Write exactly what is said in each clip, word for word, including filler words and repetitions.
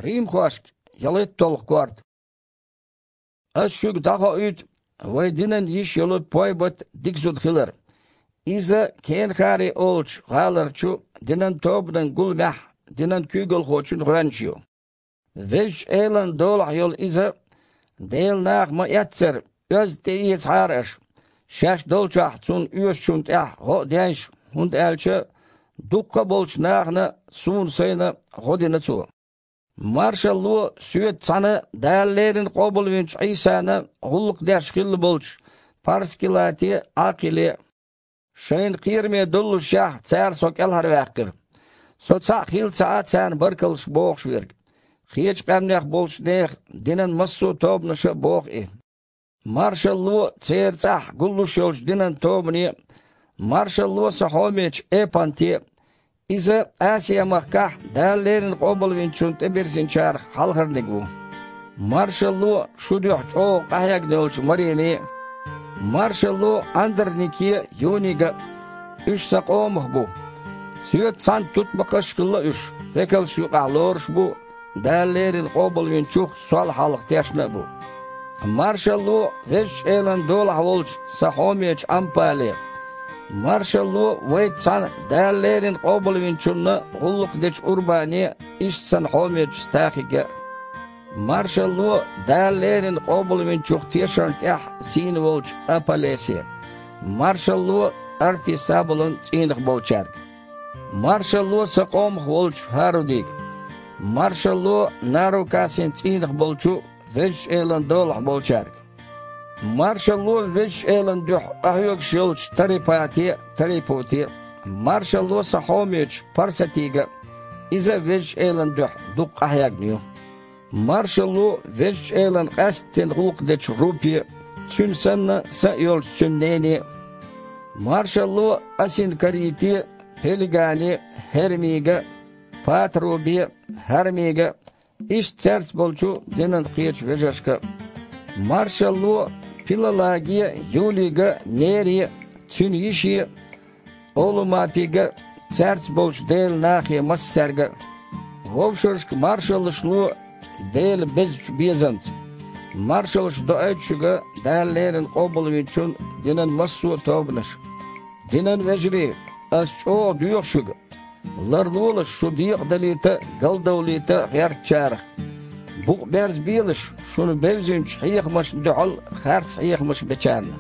Римхошка ялхитталгӀа корта. Ас шуьга дӀахоуьйту вайн динан йиша йолу Пойбат дика зуда хилар. Иза Кенхари олучу гӀаларчу динан тобанан гуламехь динан куьйгалхочун гӀоьнча ю. Везачу Элан долахь йолу иза, Делан наха ма-эццара, оьзда тӀеэцахьара аша, шаьш долчохь цунна оьшучунна тӀехь гӀо а деш, хӀунда аьлча дуккха а болчу нахана, суна сайна, гӀо дина цо. Маршалло соьца цхьаьна Дала леррина къобалвинчу Ӏийсана гӀуллакх деш хилла болчу Парскилате а, Ӏакхиле а. Шайна кхераме доллушехь, цара со кӀелхьарваьккхира. Со цхьаъ хилла ца Ӏа царна баркаллаш бохуш верг. Кхечу къаьмнех болчу нехан динан массо а тобанаша а боху и. Маршалло церан цӀахь гуллуш йолчу динан тобане а, маршалло сан хьомечу Эпанте а. Иза Асиа-махкахь Дала леррина къобалвинчунна тӀебирзинчарах хьалхарниг ву. Маршалло шу дуьхьа чӀогӀа къахьегна йолчу Мареме а, маршалло Андранике а, Юнига а. Уьш сан къомах бу. Соьца цхьаьна тутмакхаш а хилла уьш, векалш юкъахь лоруш а бу, Дала леррина къобалвинчух сол хьалха тешна а бу. Маршалло Везачу Элан долахь волчу сан хьомечу Ампале а. Маршалло вайца цхьаьна Дала леррина къобалвинчунна гӀуллакх дечу Урбане а, иштта сан хьомечу Стахиге а. Маршалло Дала леррина къобалвинчух тешарна тӀехь зийна волчу Аполлосе а. Маршалло Артисабулан цӀийнах болчаьрга. Маршалло сан къомах волчу ХӀарудига. Маршалло Нарукасин цӀийнах болчу Везачу Элан долахь болчаьрга. Маршалло Везачу Элан дуьхьа къахьоьгуш йолчу Тарипате а, Тарипуте а. Маршалло сан хьомечу Парсатига а, иза а Везачу Элан дуьхьа дукха къахьегна ю. Маршалло Везачу Элан къаьсттина гӀуллакх дечу Рупе а, цуьнан санна, сан а йолчу цуьнан нене а. Маршалло Асинкарите а, Пелигане а, ХӀермига а, Патрубе а, ХӀармига а, иштта цаьрца болчу динан кхечу вежаршка а. Маршалло Пилалаге а, Юлига а, Нере а, цуьнан йише а, Олумапига а, цаьрца болчу Делан нахе массаьрга а. Вовшашка маршаллаш ло Делан безачу безамца. Маршаллаш доуьйту шуьга Дала леррина къобалвинчун динан массо а тобанаш. Динан вежарий, ас чӀогӀа доьху шуьга. Ларлолаш шу декъадалийта а, галдовлийта а гӀертачарах. Букъ берзабелаш шуна бевзинчу хьехамашна дуьхьал харц хьехамаш бечарна.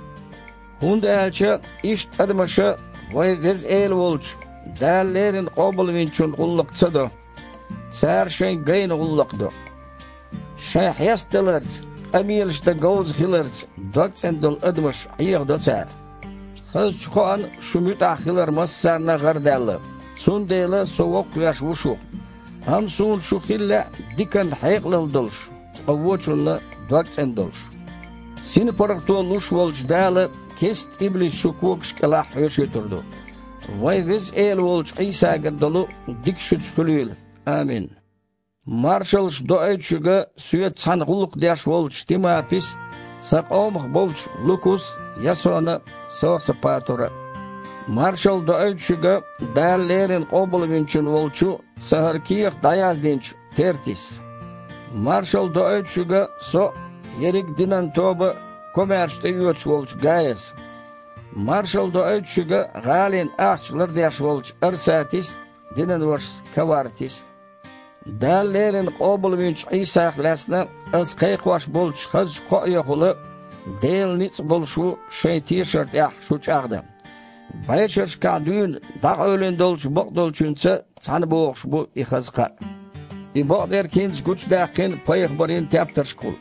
ХӀунда аьлча иштта адамаша вайн Веза Эла волчу Дала леррина къобалвинчун гӀуллакх ца до. Цара шайн гайна гӀуллакх до. Шайн хьестадаларца, къамелаш дан говза хиларца догцӀена долу адамаш Ӏехадо цара. Хазачу кхоана шу муьтӀахь хилар массарна а гӀарадаьлла, цундела со воккхавеш ву шух. Амма суна шу хила лаьа диканна хьекъалалла долуш, ткъа вочунна догцӀена долуш. СинпаргӀато луш волчу Дала кеста иблис шун когаш кӀелахь хьоьшуьйтур ду. Вайн Веза Эла волчу Ӏийсагара долу дика шуьца хуьлийла. Амин. Маршаллаш доуьйту шуьга соьца цхьаьна гӀуллакх деш волчу Тимапис а, сан къомах болчу Лукус а, Ясона а, Сосапатура а. Маршалла доуьйту шуьга Дала леррина къобалвинчун волчу сан хӀара кехат дӀаяздинчу Тертис а. Маршалла доуьйту шуьга со а, ерриг динан тоба а, комаьрша тӀеоьцуш волчу Гаяс а. Маршалла доуьйту шуьга гӀалина ахча лардеш волчу Арсатис а, динан вашас Кавартис а. Дала леррина къобалвинчу Ӏийсах лаьцна ас кхайкхош болчу хазачу кхоайохула Делан ницкъ болуш ву шайн тешар тӀехь шу чӀагӀдан. БӀешерашкахь дуьйна дӀакъевлина долчу бакъдолчуьнца цхьаьна богӀуш бу и хаза кхаъ. И бакъдерг хӀинца гучудаьккхина пайхамарийн тептаршкахула.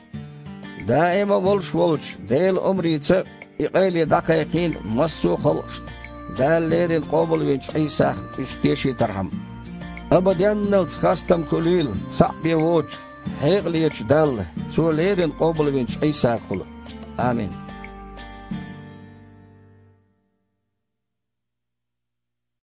Даима волуш волчу Делан омрица и къайле дӀакхайкхийна массо а халкъашна, Дала леррина къобалвинчу Ӏийсах уьш тешийтархьама. Абаденналц хастам хуьлийла цхьаъ бен воцучу, хьекъалечу Далла, Цо леррина къобалвинчу Ӏийсагахула. Амин.